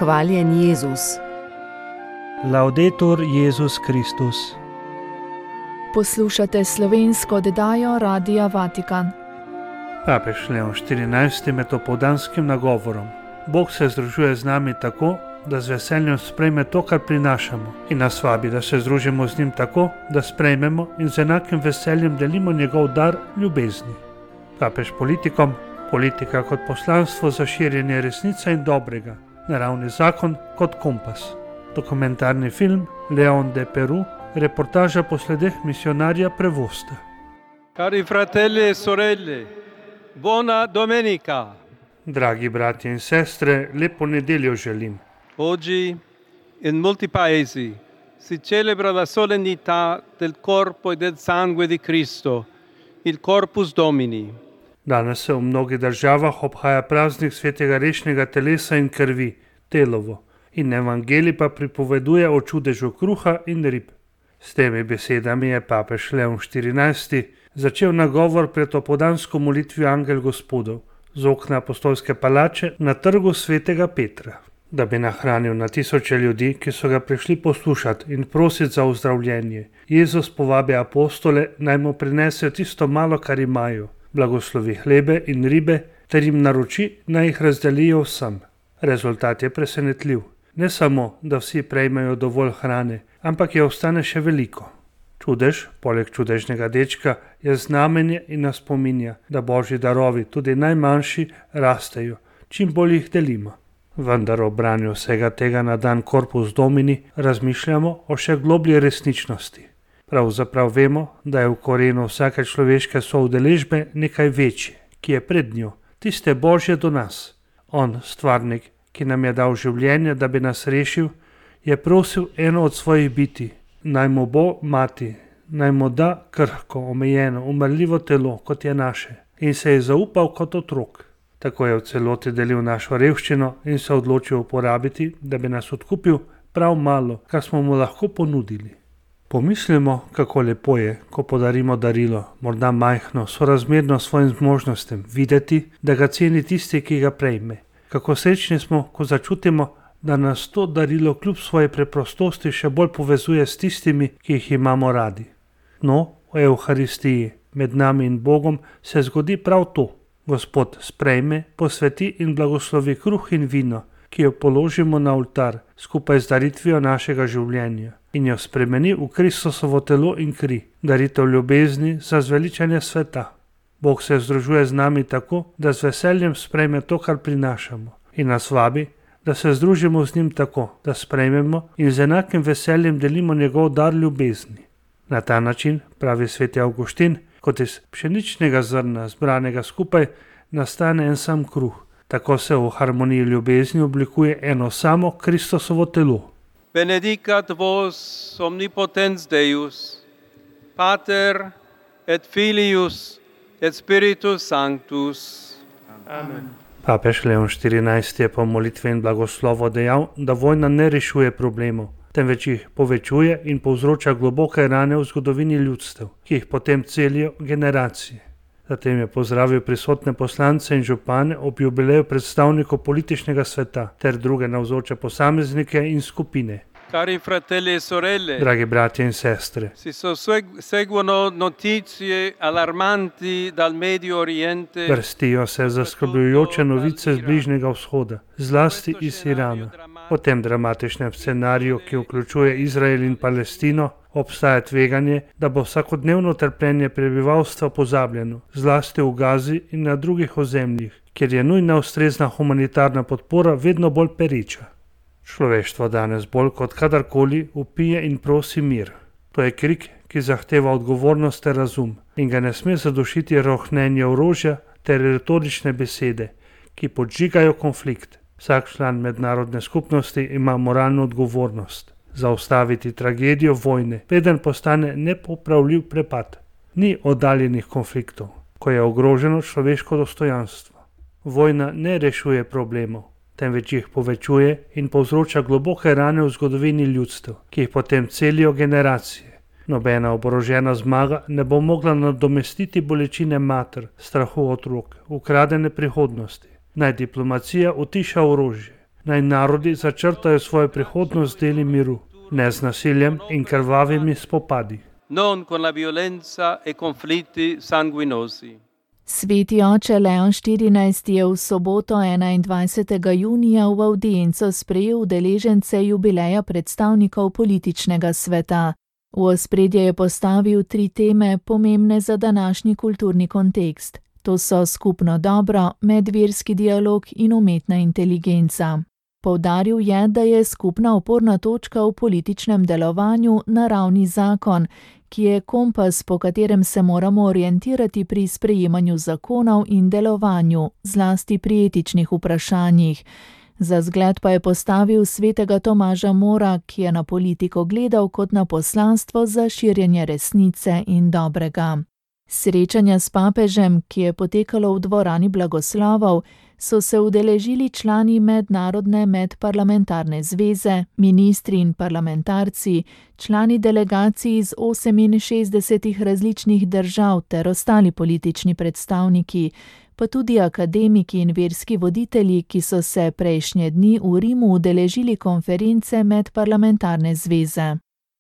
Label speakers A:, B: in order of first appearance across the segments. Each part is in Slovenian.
A: Hvaljen Jezus.
B: Laudetur Jezus Kristus.
C: Poslušate slovensko oddajo Radia Vatikan.
B: Papež Leon XIV. Med opoldanskim nagovorom. Bog se združuje z nami tako, da z veseljem sprejme to, kar prinašamo, in nas vabi, da se združimo z njim tako, da sprejmemo in z enakim veseljem delimo njegov dar ljubezni. Papež politikom, politika kot poslanstvo za širjenje resnice in dobrega, naravni zakon kot kompas. Dokumentarni film Leon de Peru, reportaža po sledeh misionarja Prevosta.
D: Cari fratelli e sorelle, buona domenica.
B: Dragi bratje in sestre, lepo nedeljo želim.
D: Oggi in molti paesi si celebra la solennità del corpo e del sangue di Cristo, il Corpus Domini.
B: Danes se v mnogih državah obhaja praznik svetega rešnega telesa in krvi, telovo, in evangelij pa pripoveduje o čudežu kruha in rib. S temi besedami je papež Leon XIV. Začel nagovor pred opoldansko molitvijo Angel Gospodov z okna apostolske palače na trgu svetega Petra, da bi nahranil na tisoče ljudi, ki so ga prišli poslušati in prositi za ozdravljenje. Jezus povabi apostole, naj mu prinesejo tisto malo, kar imajo, blagoslovi hlebe in ribe, ter jim naroči, naj jih razdelijo vsem. Rezultat je presenetljiv. Ne samo, da vsi prejmejo dovolj hrane, ampak je ostane še veliko. Čudež, poleg čudežnega dečka, je znamenje in nas spominja, da božji darovi, tudi najmanjši, rastejo, čim bolj jih delimo. Vendar ob branju vsega tega na dan Corpus Domini razmišljamo o še globlji resničnosti. Pravzaprav vemo, da je v korenu vsake človeške soudeležbe nekaj večje, ki je pred njo, tiste božje do nas. On, stvarnik, ki nam je dal življenje, da bi nas rešil, je prosil eno od svojih biti, naj mu bo mati, naj mu da krhko, omejeno, umrljivo telo, kot je naše, in se je zaupal kot otrok. Tako je v celoti delil našo revščino in se odločil uporabiti, da bi nas odkupil prav malo, kar smo mu lahko ponudili. Pomislimo, kako lepo je, ko podarimo darilo, morda majhno, sorazmerno svojim zmožnostem, videti, da ga ceni tisti, ki ga prejme. Kako srečni smo, ko začutimo, da nas to darilo kljub svoje preprostosti še bolj povezuje s tistimi, ki jih imamo radi. No, v Evharistiji, med nami in Bogom, se zgodi prav to. Gospod sprejme, posveti in blagoslovi kruh in vino, ki jo položimo na oltar, skupaj z daritvijo našega življenja, in jo spremeni v Kristusovo telo in kri, daritev ljubezni za zveličanje sveta. Bog se združuje z nami tako, da z veseljem sprejme to, kar prinašamo, in nas vabi, da se združimo z njim tako, da sprejmemo in z enakim veseljem delimo njegov dar ljubezni. Na ta način, pravi sveti Avguštin, kot iz pšeničnega zrna zbranega skupaj, nastane en sam kruh. Tako se v harmoniji ljubezni oblikuje eno samo Kristusovo telo.
D: Benedicat vos omnipotens Deus, Pater et Filius et Spiritus Sanctus. Amen.
B: Papež Leon XIV. Je po molitvi in blagoslovu dejal, da vojna ne rešuje problemov, temveč jih povečuje in povzroča globoke rane v zgodovini ljudstev, ki jih potem celijo generacije. Zatem je pozdravil prisotne poslance in župane ob jubileju predstavnikov političnega sveta ter druge navzoče posameznike in skupine.
D: Cari fratelli e sorelle,
B: Dragi bratje in sestre,
D: si seguono notizie allarmanti dal Medio Oriente.
B: Vrstijo se zaskrbljujoče novice z Bližnjega vzhoda, zlasti iz Irana. Po tem dramatičnem scenariju, ki vključuje Izrael in Palestino, obstaja tveganje, da bo vsakodnevno trpljenje prebivalstva pozabljeno, zlasti v Gazi in na drugih ozemljih, kjer je nujna ustrezna humanitarna podpora vedno bolj pereča. Človeštvo danes bolj kot kadarkoli vpije in prosi mir. To je krik, ki zahteva odgovornost ter razum in ga ne sme zadušiti rohnenje orožja ter retorične besede, ki podžigajo konflikt. Vsak član mednarodne skupnosti ima moralno odgovornost zaustaviti tragedijo vojne, preden postane nepopravljiv prepad. Ni oddaljenih konfliktov, ko je ogroženo človeško dostojanstvo. Vojna ne rešuje problemov, temveč jih povečuje in povzroča globoke rane v zgodovini ljudstev, ki jih potem celijo generacije. Nobena oborožena zmaga ne bo mogla nadomestiti bolečine mater, strahu otrok, ukradene prihodnosti. Naj diplomacija utiša orožje, Naj narodi začrtajo svojo prihodnost v deli miru, ne z nasiljem in krvavimi spopadi.
D: non con la violenza e conflitti sanguinosi.
C: Sveti oče Leon XIV je v soboto 21. junija v avdienco sprejel udeležence jubileja predstavnikov političnega sveta. V ospredje je postavil 3 teme, pomembne za današnji kulturni kontekst. To so skupno dobro, medverski dialog in umetna inteligenca. Poudaril je, da je skupna oporna točka v političnem delovanju naravni zakon, ki je kompas, po katerem se moramo orientirati pri sprejemanju zakonov in delovanju, zlasti pri etičnih vprašanjih. Za zgled pa je postavil svetega Tomaža Mora, ki je na politiko gledal kot na poslanstvo za širjenje resnice in dobrega. Srečanja s papežem, ki je potekalo v dvorani blagoslovov, so se udeležili člani Mednarodne medparlamentarne zveze, ministri in parlamentarci, člani delegacij iz 68 različnih držav ter ostali politični predstavniki, pa tudi akademiki in verski voditelji, ki so se prejšnje dni v Rimu udeležili konference Medparlamentarne zveze.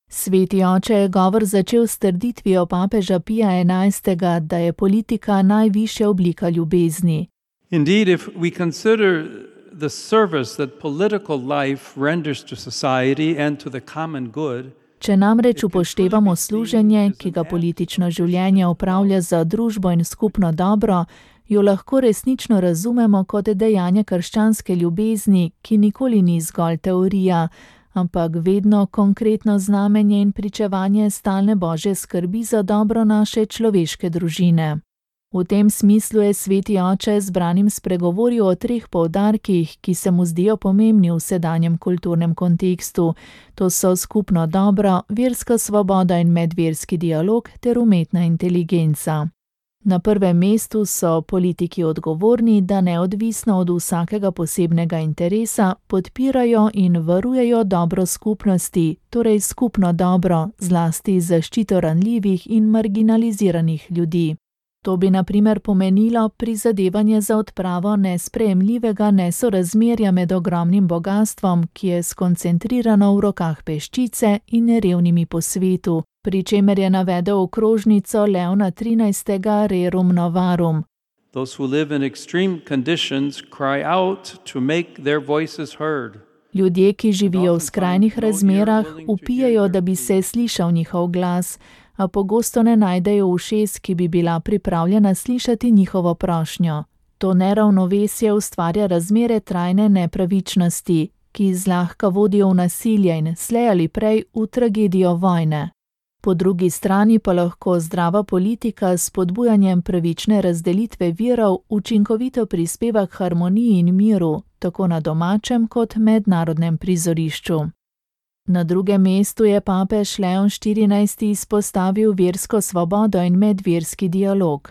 C: Sveti oče je govor začel s trditvijo papeža Pija XI., da je politika najvišja oblika ljubezni.
D: Indeed, if we consider the service that political life renders to society and to the common good,
C: Če namreč upoštevamo služenje, ki ga politično življenje opravlja za družbo in skupno dobro, jo lahko resnično razumemo kot dejanje krščanske ljubezni, ki nikoli ni zgolj teorija, ampak vedno konkretno znamenje in pričevanje stalne Božje skrbi za dobro naše človeške družine. V tem smislu je sveti oče zbranim spregovoril o 3 poudarkih, ki se mu zdijo pomembni v sedanjem kulturnem kontekstu. To so skupno dobro, verska svoboda in medverski dialog ter umetna inteligenca. Na prvem mestu so politiki odgovorni, da neodvisno od vsakega posebnega interesa podpirajo in varujejo dobro skupnosti, torej skupno dobro, zlasti zaščito ranljivih in marginaliziranih ljudi. To bi na primer pomenilo prizadevanje za odpravo nesprejemljivega nesorazmerja med ogromnim bogastvom, ki je skoncentrirano v rokah peščice in revnimi po svetu, pri čemer je navedel okrožnico Leona XIII. Rerum novarum.
D: those who live in extreme conditions cry out to make their voices heard.
C: Ljudje, ki živijo v skrajnih razmerah, vpijejo, da bi se slišal njihov glas, a pogosto ne najdejo ušes, ki bi bila pripravljena slišati njihovo prošnjo. To neravnovesje ustvarja razmere trajne nepravičnosti, ki zlahka vodijo v nasilje in slej ali prej v tragedijo vojne. Po drugi strani pa lahko zdrava politika s spodbujanjem pravične razdelitve virov učinkovito prispeva k harmoniji in miru, tako na domačem kot mednarodnem prizorišču. Na drugem mestu je papež Leon XIV. Izpostavil versko svobodo in medverski dialog.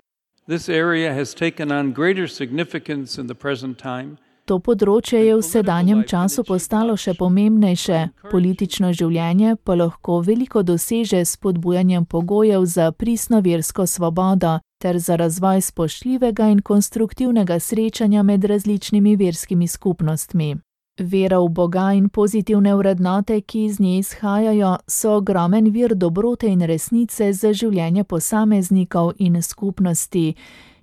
D: This area has taken on greater significance in the present time.
C: To področje je v sedanjem času postalo še pomembnejše, politično življenje pa lahko veliko doseže s spodbujanjem pogojev za pristno versko svobodo ter za razvoj spoštljivega in konstruktivnega srečanja med različnimi verskimi skupnostmi. Vera v Boga in pozitivne vrednote, ki iz nje izhajajo, so ogromen vir dobrote in resnice za življenje posameznikov in skupnosti,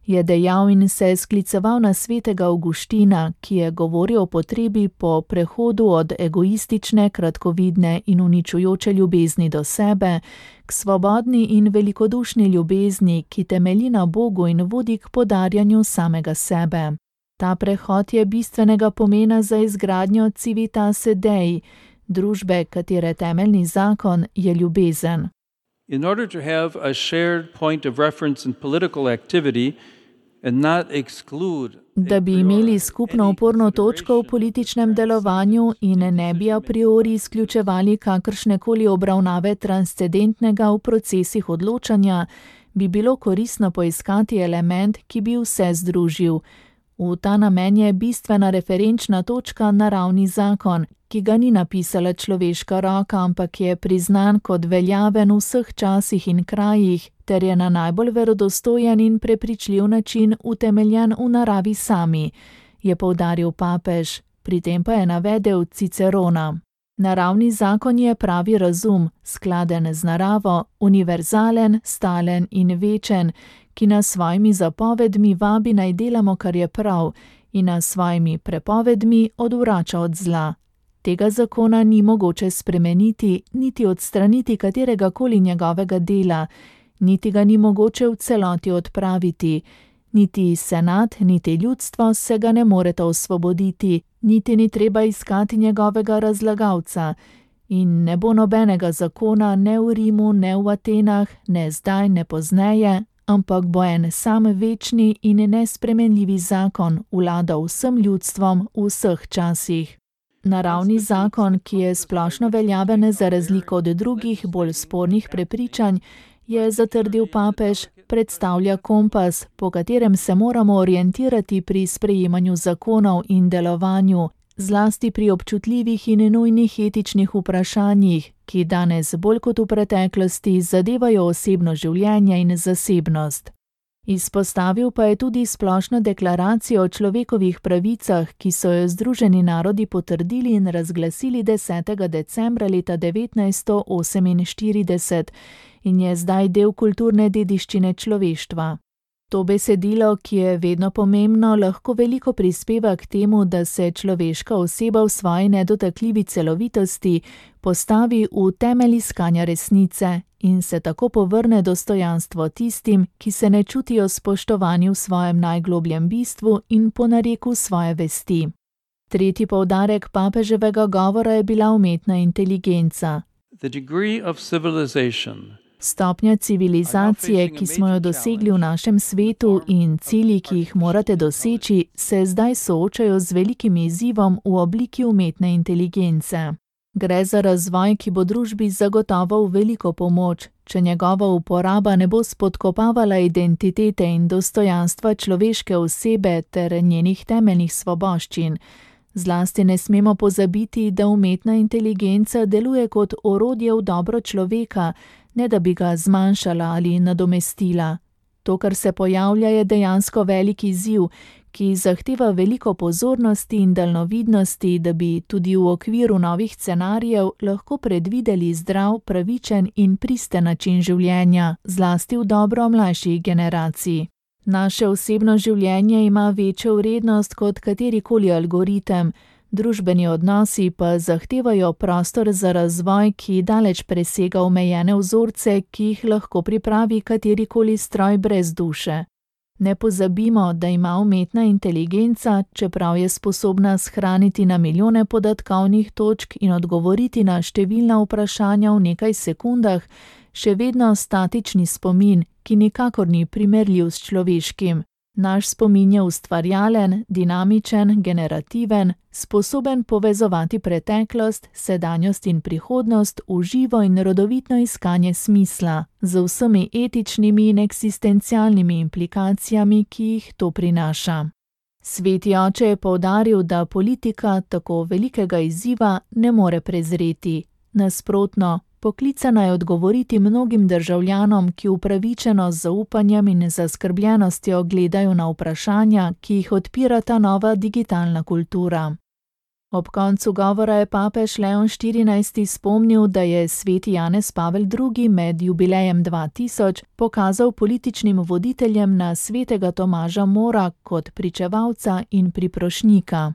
C: je dejal in se skliceval na svetega Avguština, ki je govoril o potrebi po prehodu od egoistične, kratkovidne in uničujoče ljubezni do sebe k svobodni in velikodušni ljubezni, ki temelji na Bogu in vodi k podarjanju samega sebe. Ta prehod je bistvenega pomena za izgradnjo Civitase Dei, družbe, katere temeljni zakon je ljubezen.
D: In order to have a shared point of reference in political activity and not exclude
C: Da bi imeli skupno oporno točko v političnem delovanju in ne bi a priori izključevali kakršnekoli obravnave transcendentnega v procesih odločanja, bi bilo koristno poiskati element, ki bi vse združil. V ta namen je bistvena referenčna točka naravni zakon, ki ga ni napisala človeška roka, ampak je priznan kot veljaven v vseh časih in krajih, ter je na najbolj verodostojen in prepričljiv način utemeljen v naravi sami, je poudaril papež. pri tem pa je navedel Cicerona. Naravni zakon je pravi razum, skladen z naravo, univerzalen, stalen in večen, ki nas svojimi zapovedmi vabi naj delamo, kar je prav, in nas svojimi prepovedmi odvrača od zla. Tega zakona ni mogoče spremeniti, niti odstraniti kateregakoli njegovega dela, niti ga ni mogoče v celoti odpraviti. Niti senat, niti ljudstvo se ga ne moreta osvoboditi, niti ni treba iskati njegovega razlagalca. In ne bo nobenega zakona ne v Rimu, ne v Atenah, ne zdaj, ne pozneje, ampak bo en sam večni in nespremenljivi zakon vladal vsem ljudstvom v vseh časih. Naravni zakon, ki je splošno veljaven za razliko od drugih, bolj spornih prepričanj, je zatrdil papež, predstavlja kompas, po katerem se moramo orientirati pri sprejemanju zakonov in delovanju, zlasti pri občutljivih in nujnih etičnih vprašanjih, ki danes bolj kot v preteklosti zadevajo osebno življenje in zasebnost. Izpostavil pa je tudi splošno deklaracijo o človekovih pravicah, ki so jo Združeni narodi potrdili in razglasili 10. decembra leta 1948 in je zdaj del kulturne dediščine človeštva. To besedilo, ki je vedno pomembno, lahko veliko prispeva k temu, da se človeška oseba v svoji nedotakljivi celovitosti postavi v temelj iskanja resnice in se tako povrne dostojanstvo tistim, ki se ne čutijo spoštovani v svojem najglobljem bistvu in po nareku svoje vesti. Tretji poudarek papeževega govora je bila umetna inteligenca.
D: The degree of civilization.
C: Stopnja civilizacije, ki smo jo dosegli v našem svetu in cilji, ki jih morate doseči, se zdaj soočajo z velikim izzivom v obliki umetne inteligence. Gre za razvoj, ki bo družbi zagotovo v veliko pomoč, če njegova uporaba ne bo spodkopavala identitete in dostojanstva človeške osebe ter njenih temeljnih svoboščin. Zlasti ne smemo pozabiti, da umetna inteligenca deluje kot orodje v dobro človeka, ne da bi ga zmanjšala ali nadomestila. To, kar se pojavlja, je dejansko velik izziv, ki zahteva veliko pozornosti in daljnovidnosti, da bi tudi v okviru novih scenarijev lahko predvideli zdrav, pravičen in pristen način življenja, zlasti v dobro mlajših generacij. Naše osebno življenje ima večjo vrednost kot katerikoli algoritem, družbeni odnosi pa zahtevajo prostor za razvoj, ki daleč presega omejene vzorce, ki jih lahko pripravi katerikoli stroj brez duše. Ne pozabimo, da ima umetna inteligenca, čeprav je sposobna shraniti na milijone podatkovnih točk in odgovoriti na številna vprašanja v nekaj sekundah, še vedno statični spomin, ki nikakor ni primerljiv s človeškim. Naš spomin je ustvarjalen, dinamičen, generativen, sposoben povezovati preteklost, sedanjost in prihodnost v živo in rodovitno iskanje smisla, z vsemi etičnimi in eksistencialnimi implikacijami, ki jih to prinaša. Sveti oče je poudaril, da politika tako velikega izziva ne more prezreti. Nasprotno, poklicana je odgovoriti mnogim državljanom, ki upravičeno z zaupanjem in zaskrbljenostjo gledajo na vprašanja, ki jih odpira ta nova digitalna kultura. Ob koncu govora je papež Leon XIV. Spomnil, da je sveti Janez Pavel II. Med jubilejem 2000 pokazal političnim voditeljem na svetega Tomaža Mora kot pričevalca in priprošnjika.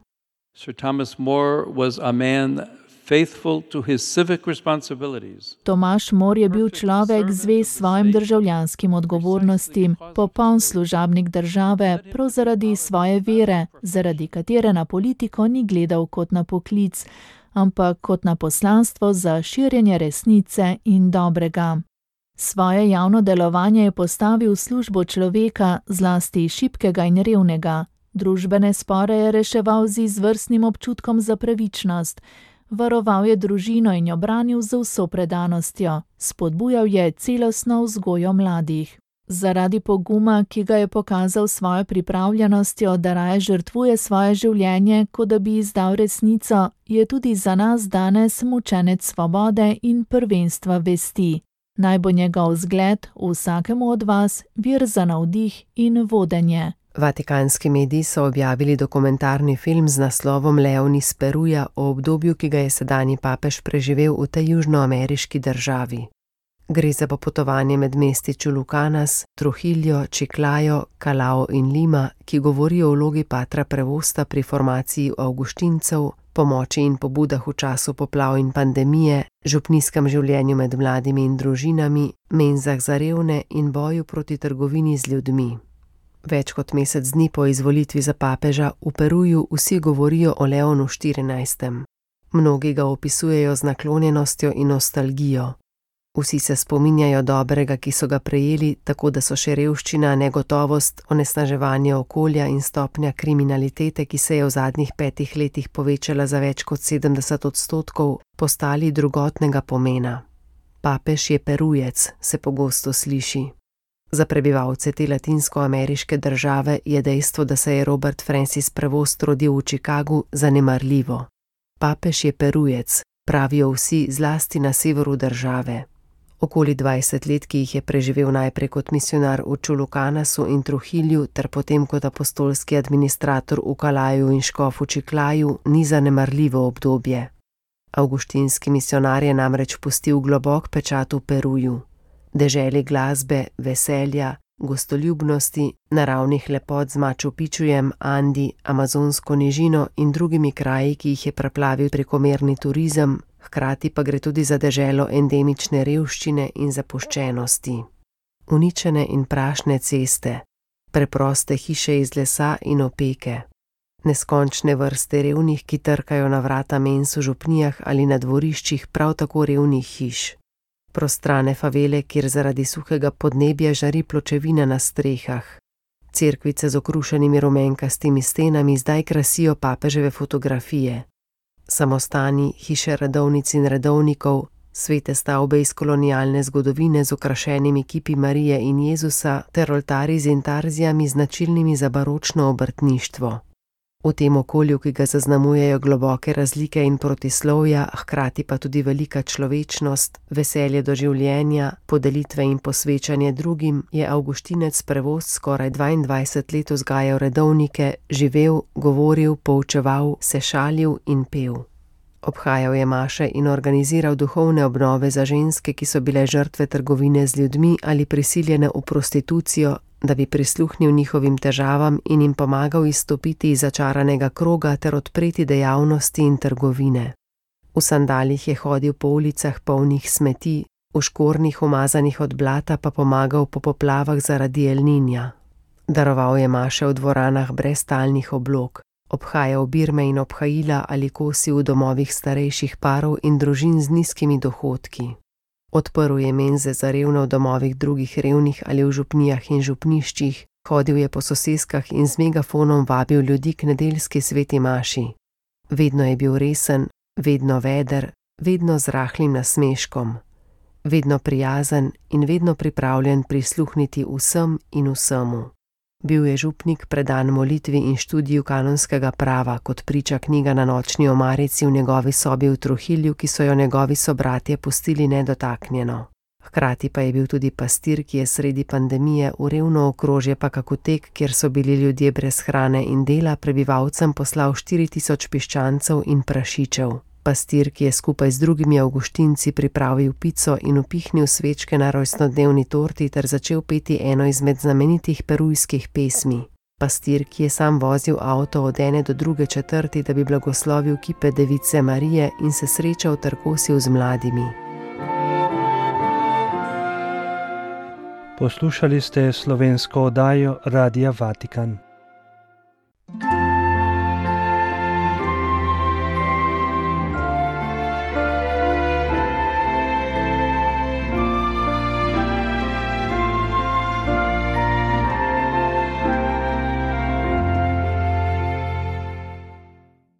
D: Sir Thomas More was a man faithful to his civic responsibilities.
C: Tomaž More je bil človek zvest svojim državljanskim odgovornostim, popoln služabnik države, prav zaradi svoje vere, zaradi katere na politiko ni gledal kot na poklic, ampak kot na poslanstvo za širjenje resnice in dobrega. Svoje javno delovanje je postavil v službo človeka, zlasti šibkega in revnega. Družbene spore je reševal z izvrstnim občutkom za pravičnost. Varoval je družino in jo branil z vso predanostjo. Spodbujal je celostno vzgojo mladih. Zaradi poguma, ki ga je pokazal svojo pripravljenostjo, da raje žrtvuje svoje življenje, kot da bi izdal resnico, je tudi za nas danes mučenec svobode in prvenstva vesti. Naj bo njegov zgled vsakemu od vas vir za navdih in vodenje.
A: Vatikanski mediji so objavili dokumentarni film z naslovom Leon iz Peruja o obdobju, ki ga je sedanji papež preživel v tej južnoameriški državi. Gre za popotovanje med mesti Chulucanas, Trujillo, Chiclayo, Callao in Lima, ki govori o vlogi patra Prevosta pri formaciji avguštincev, pomoči in pobudah v času poplav in pandemije, župnijskem življenju med mladimi in družinami, menzah za revne in boju proti trgovini z ljudmi. Več kot mesec dni po izvolitvi za papeža v Peruju vsi govorijo o Leonu XIV. Mnogi ga opisujejo z naklonjenostjo in nostalgijo. Vsi se spominjajo dobrega, ki so ga prejeli, tako da so še revščina, negotovost, onesnaževanje okolja in stopnja kriminalitete, ki se je v zadnjih 5 letih povečala za več kot 70%, postali drugotnega pomena. Papež je Perujec, se pogosto sliši. Za prebivalce te latinskoameriške države je dejstvo, da se je Robert Francis Prevost rodil v Chicagu, zanemarljivo. Papež je Perujec, pravijo vsi, zlasti na severu države. Okoli 20 let, ki jih je preživel najprej kot misionar v Chulucanasu in Trujillu ter potem kot apostolski administrator v Callaju in škof v Chiclayu, ni zanemarljivo obdobje. Avguštinski misionar je namreč pustil globok pečat v Peruju. Deželi glasbe, veselja, gostoljubnosti, naravnih lepot z Machu Picchujem, Andi, amazonsko nižino in drugimi kraji, ki jih je preplavil prekomerni turizem, hkrati pa gre tudi za deželo endemične revščine in zapuščenosti. Uničene in prašne ceste, preproste hiše iz lesa in opeke, neskončne vrste revnih, ki trkajo na vrata mens v župnijah ali na dvoriščih prav tako revnih hiš. Prostrane favele, kjer zaradi suhega podnebja žari pločevina na strehah. Cerkvice z okrušenimi rumenkastimi stenami zdaj krasijo papeževe fotografije. Samostani, hiše redovnic in redovnikov, svete stavbe iz kolonialne zgodovine z okrašenimi kipi Marije in Jezusa ter oltarji z intarzijami značilnimi za baročno obrtništvo. V tem okolju, ki ga zaznamujejo globoke razlike in protislovja, hkrati pa tudi velika človečnost, veselje do življenja, podelitve in posvečanje drugim, je Avguštinec Prevost skoraj 22 let vzgajal redovnike, živel, govoril, poučeval, se šalil in pel. Obhajal je maše in organiziral duhovne obnove za ženske, ki so bile žrtve trgovine z ljudmi ali prisiljene v prostitucijo, da bi prisluhnil njihovim težavam in jim pomagal izstopiti iz začaranega kroga ter odpreti dejavnosti in trgovine. V sandalih je hodil po ulicah polnih smeti, v škornjih umazanih od blata pa pomagal po poplavah zaradi El Niña. Daroval je maše v dvoranah brez talnih oblog, obhajal birme in obhajila ali kosil v domovih starejših parov in družin z nizkimi dohodki. Odprl je menze za revne v domovih drugih revnih ali v župnijah in župniščih, hodil je po soseskah in z megafonom vabil ljudi k nedeljski sveti maši. Vedno je bil resen, vedno veder, vedno z rahlim nasmeškom, vedno prijazen in vedno pripravljen prisluhniti vsem in vsemu. Bil je župnik predan molitvi in študiju kanonskega prava, kot priča knjiga na nočni omarici v njegovi sobi v Trujillu, ki so jo njegovi sobratje pustili nedotaknjeno. Hkrati pa je bil tudi pastir, ki je sredi pandemije v revno okrožje Pakakutek, kjer so bili ljudje brez hrane in dela, prebivalcem poslal 4000 piščancev in prašičev. Pastir, ki je skupaj z drugimi avguštinci pripravil pico in upihnil svečke na rojstnodnevni torti ter začel peti eno izmed znamenitih perujskih pesmi. Pastir, ki je sam vozil avto od ene do druge četrti, da bi blagoslovil kipe Device Marije in se srečal ter kosil z mladimi.
B: Poslušali ste slovensko oddajo Radia Vatikan.